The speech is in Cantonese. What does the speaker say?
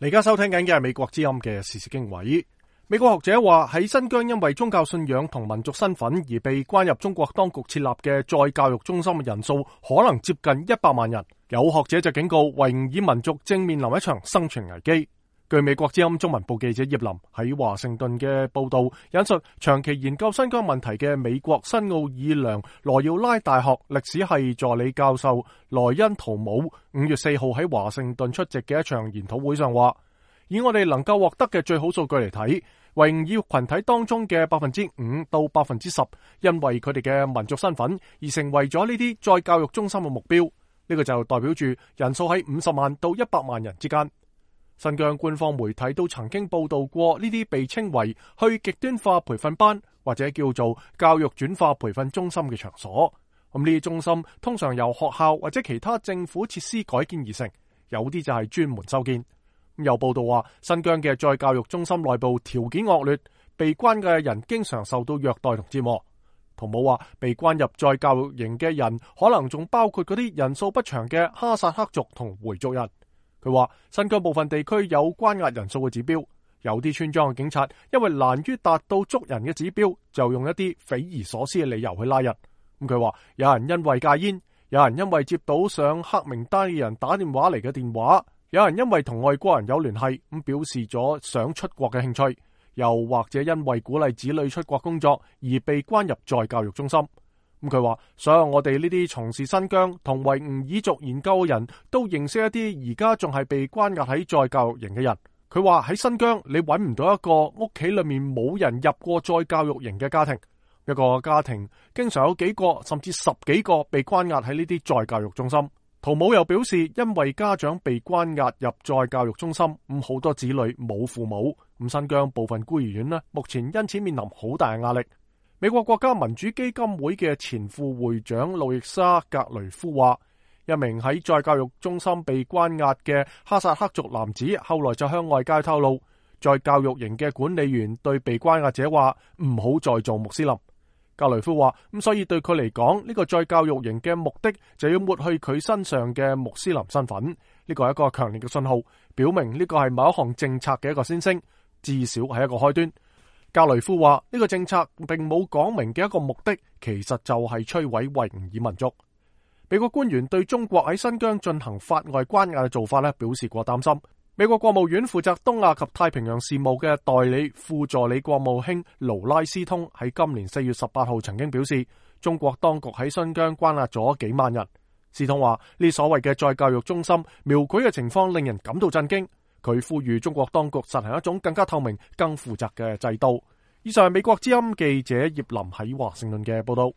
你而家收聽緊嘅係美國之音嘅時事經緯。美國學者話喺新疆因為宗教信仰同民族身份而被關入中國當局設立嘅再教育中心嘅人數可能接近100萬人。有學者就警告維吾爾民族正面臨一場生存危機。據美國之音中文部記者葉林喺華盛頓嘅報道引述，長期研究新疆問題嘅美國新奧爾良羅耀拉大學歷史系助理教授萊恩圖姆5月4號喺華盛頓出席嘅一場研討會上話，以我哋能夠獲得嘅最好數據嚟睇，維吾爾群體當中嘅5%到10%，因為佢哋嘅民族身份而成為咗呢啲再教育中心嘅目標。呢個就代表住人數喺50萬到100萬人之間。新疆官方媒體都曾經報道過呢啲被稱為去極端化培訓班或者叫做教育轉化培訓中心嘅場所。咁呢啲中心通常由學校或者其他政府設施改建而成，有啲就係專門修建。有報道話，新疆嘅再教育中心內部條件惡劣，被關嘅人經常受到虐待同折磨。圖姆話，被關入再教育營嘅人可能仲包括嗰啲人數不詳嘅哈薩克族同回族人。佢話，新疆部分地區有關押人數嘅指標，有啲村莊嘅警察因為難於達到捉人嘅指標，就用一啲匪夷所思嘅理由去拉人。咁佢話，有人因為戒煙，有人因為接到上黑名單嘅人打電話嚟嘅電話，有人因為同外國人有聯繫，咁表示咗想出國嘅興趣，又或者因為鼓勵子女出國工作而被關入再教育中心。咁佢話，所有我哋呢啲從事新疆同維吾爾族研究嘅人都認識一啲而家仲係被關押喺再教育營嘅人。佢話喺新疆你揾唔到一個屋企裏面冇人入過再教育營嘅家庭，一個家庭經常有幾個甚至10幾個被關押喺呢啲再教育中心。圖姆又表示，因為家長被關押入再教育中心，咁好多子女冇父母，咁新疆部分孤兒院呢，目前因此面臨好大嘅壓力。美國國家民主基金會嘅前副會長路易莎格雷夫話，一名喺再教育中心被關押嘅哈薩克族男子後來就向外界透露，再教育營嘅管理員對被關押者話唔好再做穆斯林。格雷夫話，咁所以對佢嚟講，呢個再教育營嘅目的就要抹去佢身上嘅穆斯林身份。呢個係一個強烈嘅信號，表明呢個係某一項政策嘅一個先聲，至少係一個開端。格雷夫話，呢個政策並冇講明嘅一個目的，其實就係摧毀維吾爾民族。美國官員對中國喺新疆進行法外關押嘅做法表示過擔心。美國國務院負責東亞及太平洋事務嘅代理副助理國務卿勞拉斯通喺今年4月18號曾經表示，中國當局喺新疆關押咗幾萬人。斯通話，呢所謂嘅再教育中心描繪嘅情況令人感到震驚。佢呼籲中國當局實行一種更加透明、更負責嘅制度。以上係美國之音記者葉林喺華盛頓嘅報道。